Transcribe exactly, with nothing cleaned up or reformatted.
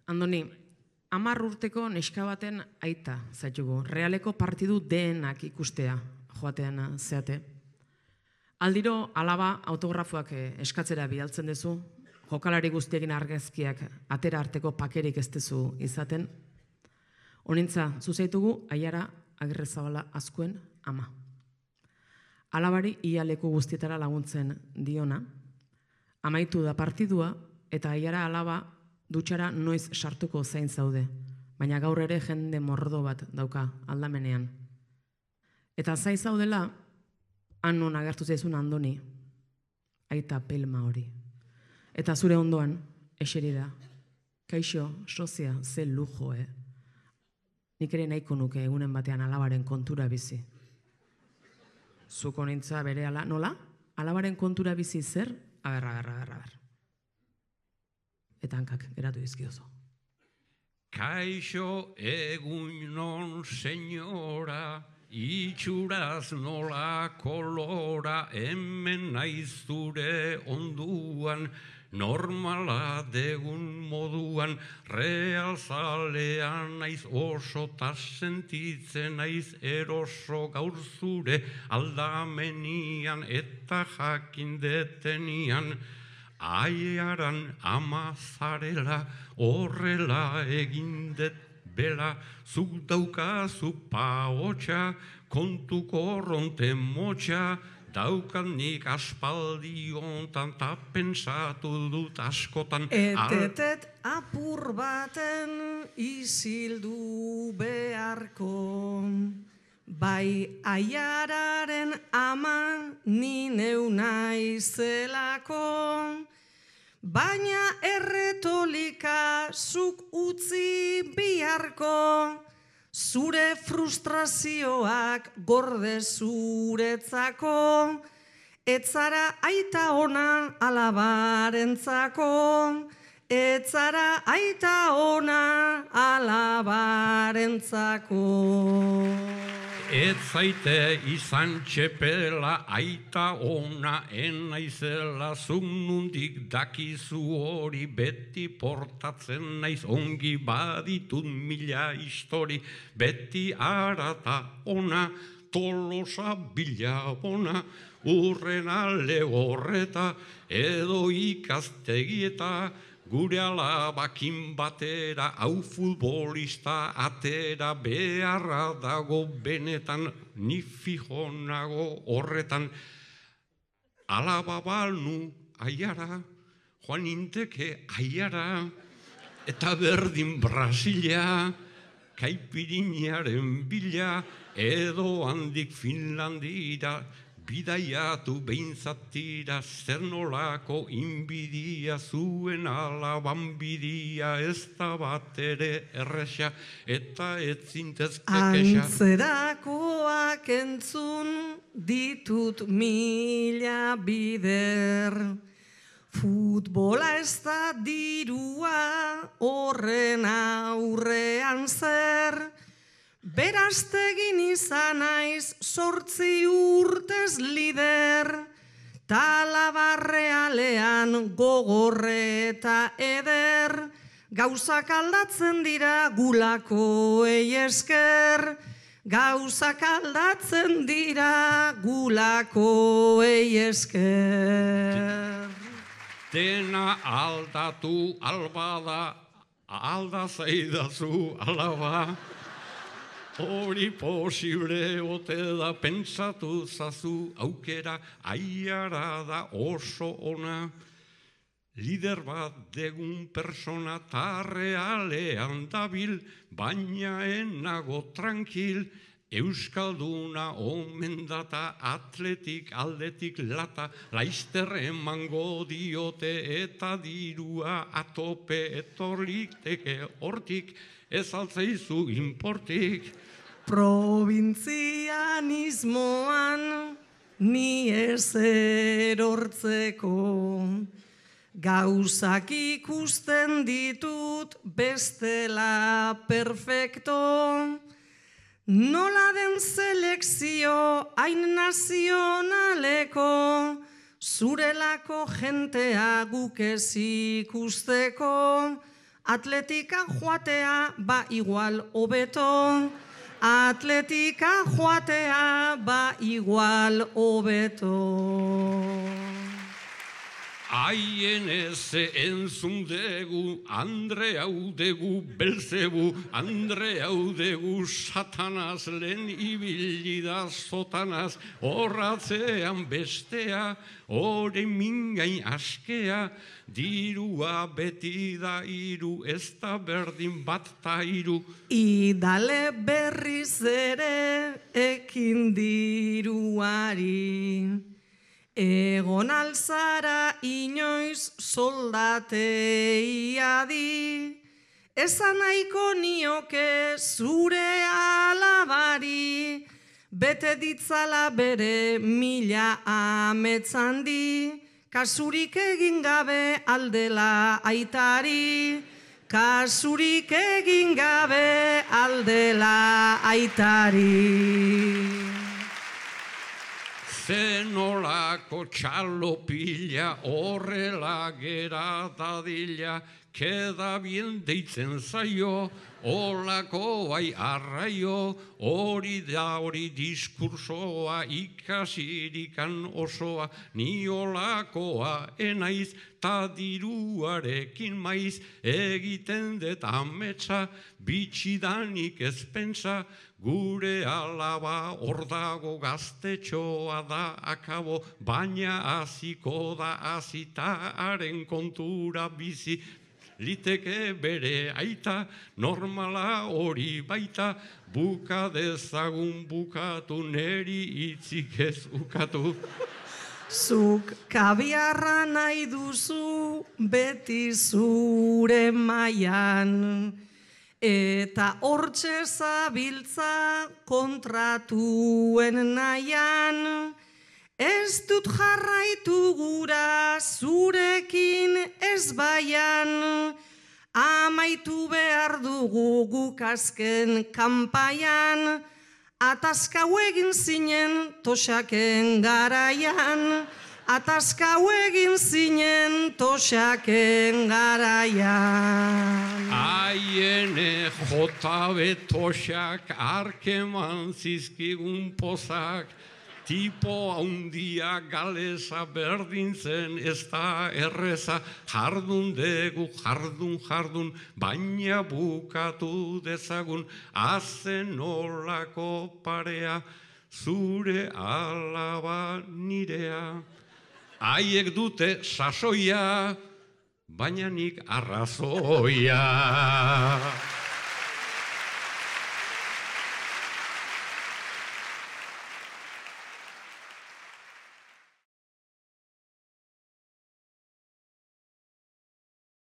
Andoni, hamar urteko neska baten aita zaitugu, realeko partidu denak ikustea joatean zeate. Aldiro alaba autografoak eskatzera bidaltzen duzu, jokalari guztiekin argazkiak atera arteko pakerik ez duzu izaten. Honintza, zuzaitugu Aiara Agirrezabala Azkuen ama. Alabari ia leku guztietara laguntzen diona, amaitu da partidua eta Aiara alaba dutxara noiz sartuko zain zaude, baina gaur ere jende mordo bat dauka aldamenean. Eta zain zaudela, han non agertu zaizun Andoni, aita pelma hori. Eta zure ondoan, eseri da, kaixo, sozia, ze lujo, eh? Nik ere nahiko nuke egunen batean alabaren kontura bizi. Zuko nintza bere ala, nola? Alabaren kontura bizi zer? Aber, aber, aber, aber. Eta hankak, geratu dizkiozo. Kaixo egunon, senyora, itxuraz nola kolora, hemen naiz zure onduan, normala degun moduan, realzalean naiz oso ta sentitzen naiz eroso gaur zure aldamenian eta jakindetenian. Aiaran ama zarela, horrela egindet bela, zuk daukazu paotxa, kontu korronte motxa, daukat nik aspaldi ontan ta pentsatu dut askotan. Etetet apur baten isildu beharko, bai Aiararen ama ni neu naizelako, baina erretolika zuk utzi biharko, zure frustrazioak gorde zuretzako, etzara aita ona alabarentzako, etzara aita ona alabarentzako. Ez zaite izan txepela aita ona enaizela, zuk nundik dakizu hori, beti portatzen naiz ongi baditut mila histori, beti arata ona, tolosa bila bona, urrena lehorreta, edo ikastegieta, gure alabakin batera, hau futbolista atera, beharra dago benetan, ni fijonago horretan. Alaba balnu Aiara, joan inteke Aiara, eta berdin Brasilia, kaipirinaren bila, edo handik Finlandira, bidaiatu behintzatira, zer nolako inbidia, zuen alaban bidia, ez da bat ere erresa, eta ez zintezke kexa. Antzerakoak entzun ditut mila bider, futbola ez da dirua horren aurrean zer, beraztegin izan naiz sortzi urtez lider, talabarrealean gogorre eta eder, gauzak aldatzen dira gulakoei esker, gauzak aldatzen dira gulakoei esker. Dena aldatu albada, alda zaidazu alaba, hori posible ote da, pentsatu zazu aukera, Aiara da oso ona, lider bat degun persona ta realean dabil, baina enago tranquil, euskalduna omen data, atletik aldetik lata, laizter emango diote eta dirua atope etorlikteke hortik, ez altzaizu inportik. Probintzianismoan ni ez erortzeko, gauzak ikusten ditut bestela perfecto, nola den selekzio hain nazionaleko, zurelako jentea guk ez ikusteko, Atletika joatea ba igual hobeto. Atletika joatea ba igual hobeto. Haien ez entzun degu, Andre hau degu, Belzebu, Andre hau degu, Satanaz lehen ibili da zotanaz, horratzean bestea, hori mingain askea, dirua beti da iru, ez da berdin bat ta iru. Idale berriz ere ekin diruari. Egon alzara inoiz soldatei adi, esan nahiko nioke zure alabari, bete ditzala bere mila ametzandi, kasurik egin gabe aldela aitari, kasurik egin gabe aldela aitari. Zenolako txalopila horrela gera dadila, keda bien deitzen zaio, olako bai arraio, hori da hori diskursoa ikasirikan osoa, ni olakoa enaiz, ta diruarekin maiz, egiten dut ametsa, bitxidanik ez pentsa, gure alaba hor dago gaztetxoa da akabo, baina aziko da azita haren kontura bizi, liteke bere aita, normala hori baita, buka dezagun bukatu, neri hitzik ez ukatu. Zuk kabiarra nahi duzu beti zure mailan, eta hortxe zabiltza kontratuen nahian, ez dut jarraitu gura zurekin ez baian, amaitu behar dugu guk azken kanpaian, ataskau egin zinen toxaken garaian, ataskau egin zinen toxaken garaian. Aiene jota betoxak arkeman zizkigun pozak, tipo haundia galeza berdintzen ez da erreza, jardun degu, jardun, jardun, baina bukatu dezagun, azen olako parea, zure alaba nirea. Haiek dute sasoia, baina nik arrazoia.